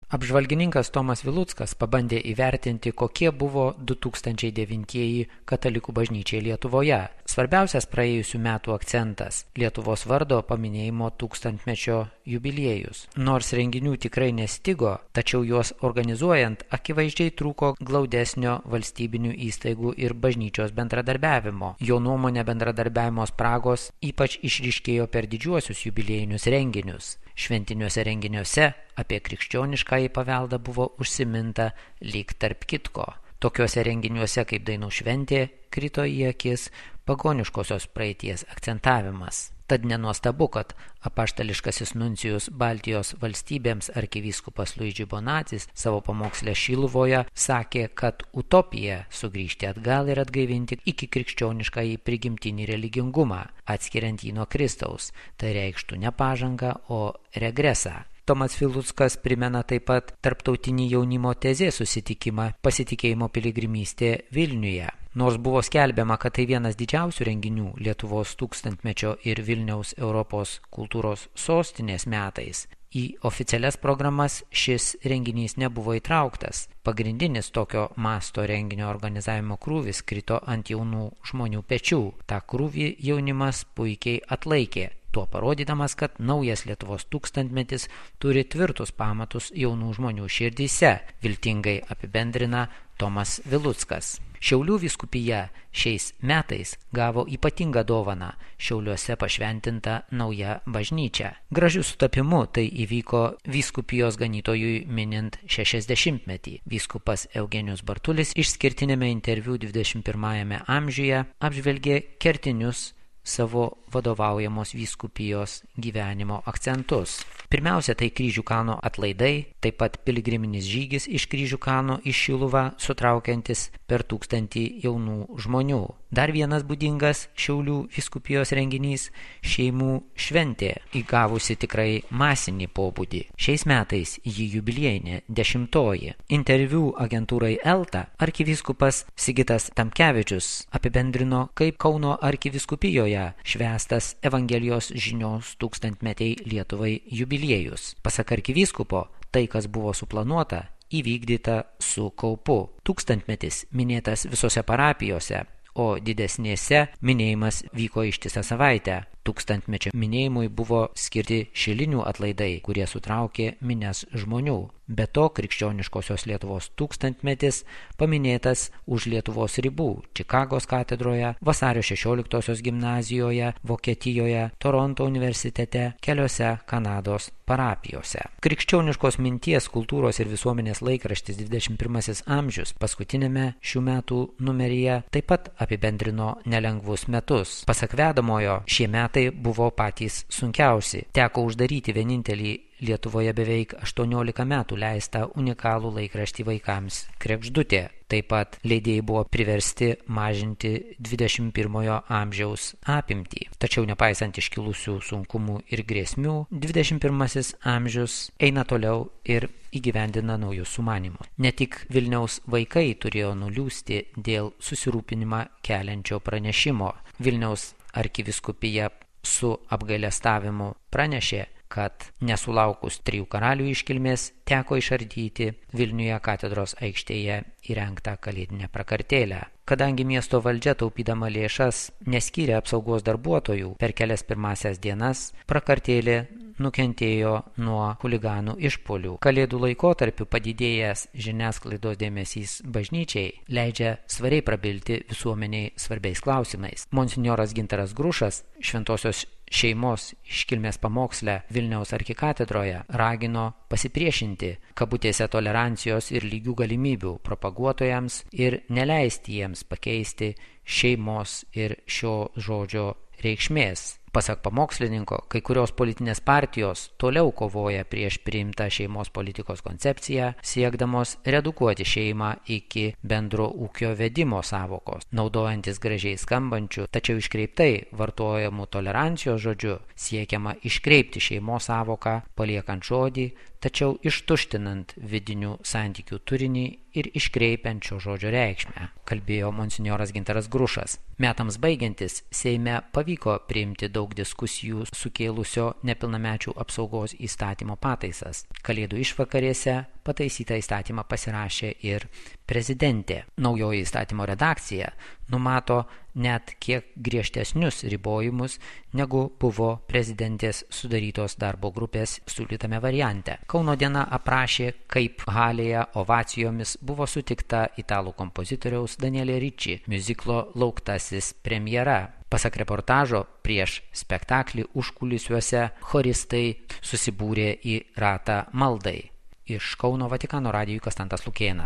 Apžvalgininkas Tomas Viluckas pabandė įvertinti, kokie buvo 2009 katalikų bažnyčiai Lietuvoje. Svarbiausias praėjusių metų akcentas – Lietuvos vardo paminėjimo 1000-mečio jubiliejus. Nors renginių tikrai nestigo, tačiau juos organizuojant akivaizdžiai trūko glaudesnio valstybinių įstaigų ir bažnyčios bendradarbiavimo. Jo nuomonė bendradarbiavimo spragos ypač išryškėjo per didžiuosius jubiliejinius renginius. Šventiniuose renginiuose apie krikščioniškąjį paveldą buvo užsiminta lyg tarp kitko. Tokiuose renginiuose kaip dainų šventė krito į akis pagoniškosios praeities akcentavimas. Tad nenuostabu, kad apaštališkasis nuncijus Baltijos valstybėms arkivyskupas Luigi Bonacis savo pamoksle Šiluvoje sakė, kad utopija sugrįžti atgal ir atgaivinti iki krikščioniškąjį prigimtinį religingumą, atskiriant jį nuo Kristaus. Tai reikštų ne pažangą, o regresą. Tomas Viluckas primena taip pat tarptautinį jaunimo tezės susitikimą Pasitikėjimo piligrimystė Vilniuje. Nors buvo skelbiama, kad tai vienas didžiausių renginių Lietuvos 1000-mečio ir Vilniaus Europos kultūros sostinės metais, į oficialias programas šis renginys nebuvo įtrauktas. Pagrindinis tokio masto renginio organizavimo krūvis krito ant jaunų žmonių pečių. Ta krūvį jaunimas puikiai atlaikė, tuo parodydamas, kad naujas Lietuvos 1000-metis turi tvirtus pamatus jaunų žmonių širdyse, viltingai apibendrina Tomas Viluckas. Šiaulių vyskupija šiais metais gavo ypatingą dovaną – Šiauliuose pašventinta nauja bažnyčia. Gražiu sutapimu tai įvyko vyskupijos ganytojui minint 60-metį. Vyskupas Eugenijus Bartulis išskirtinėme interviu 21 amžiuje apžvelgė kertinius savo vadovaujamos vyskupijos gyvenimo akcentus. Pirmiausia, tai Kryžių kalno atlaidai, taip pat piligriminis žygis iš Kryžių kalno į Šiluvą, sutraukiantis per 1000 jaunų žmonių. Dar vienas būdingas Šiaulių vyskupijos renginys – šeimų šventė, įgavusi tikrai masinį pobūdį. Šiais metais ji jubiliejinė 10-oji. Interviu agentūrai Elta arkivyskupas Sigitas Tamkevičius apibendrino, kaip Kauno arkivyskupijoje švęstas Evangelijos žinios 1000-metei Lietuvai jubiliejus. Pasak arkivyskupo, tai, kas buvo suplanuota, įvykdyta su kaupu. 1000-metis minėtas visose parapijose, o didesnėse minėjimas vyko ištisą savaitę. 1000-mečio minėjimui buvo skirti šilinių atlaidai, kurie sutraukė minias žmonių. Be to, krikščioniškosios Lietuvos 1000-metis paminėtas už Lietuvos ribų – Čikagos katedroje, Vasario 16-osios gimnazijoje, Vokietijoje, Toronto universitete, keliose Kanados parapijose. Krikščioniškos minties, kultūros ir visuomenės laikraštis 21 amžius paskutinėme šių metų numeryje taip pat apibendrino nelengvus metus. Pasak vedamojo, šie metai buvo patys sunkiausi. Teko uždaryti vienintelį Lietuvoje beveik 18 metų leistą unikalų laikraštį vaikams Kregždutė. Taip pat leidėjai buvo priversti mažinti 21 amžiaus apimtį. Tačiau nepaisant iškilusių sunkumų ir grėsmių, 21 amžius eina toliau ir įgyvendina naujus sumanymus. Ne tik Vilniaus vaikai turėjo nuliūsti dėl susirūpinimą keliančio pranešimo. Vilniaus arkivyskupija su apgailestavimu pranešė, kad nesulaukus 3 karalių iškilmės teko išardyti Vilniuje katedros aikštėje įrengtą kalėdinę prakartėlę. Kadangi miesto valdžia taupydama lėšas neskyrė apsaugos darbuotojų per kelias pirmasias dienas, prakartėlė nukentėjo nuo chuliganų išpuolių. Kalėdų laikotarpiu padidėjęs žiniasklaidos dėmesys bažnyčiai leidžia svariai prabilti visuomeniai svarbiais klausimais. Monsinjoras Gintaras Grušas Šventosios šeimos iškilmės pamoksle Vilniaus arkikatedroje ragino pasipriešinti kabutėse tolerancijos ir lygių galimybių propaguotojams ir neleisti jiems pakeisti šeimos ir šio žodžio reikšmės. Pasak pamokslininko, kai kurios politinės partijos toliau kovoja prieš priimtą šeimos politikos koncepciją, siekdamos redukuoti šeimą iki bendro ūkio vedimo sąvokos, naudojantis gražiai skambančių, tačiau iškreiptai vartojamų tolerancijos žodžiu, siekiama iškreipti šeimos sąvoką, paliekant žodį tačiau ištuštinant vidinių santykių turinį ir iškreipiant šio žodžio reikšmę, kalbėjo monsinjoras Gintaras Grušas. Metams baigiantis, Seime pavyko priimti daug diskusijų sukėlusio nepilnamečių apsaugos įstatymo pataisas. Kalėdų išvakarėse pataisytą įstatymą pasirašė ir prezidentė. Naujoji įstatymo redakcija numato net kiek griežtesnius ribojimus, negu buvo prezidentės sudarytos darbo grupės siūlytame variante. Kauno diena aprašė, kaip halėje ovacijomis buvo sutikta italų kompozitoriaus Daniele Ricci miuziklo Lauktasis premjera. Pasak reportažo, prieš spektaklį užkulisiuose choristai susibūrė į ratą maldai. Iš Kauno Vatikano radijui Konstantas Lukėnas.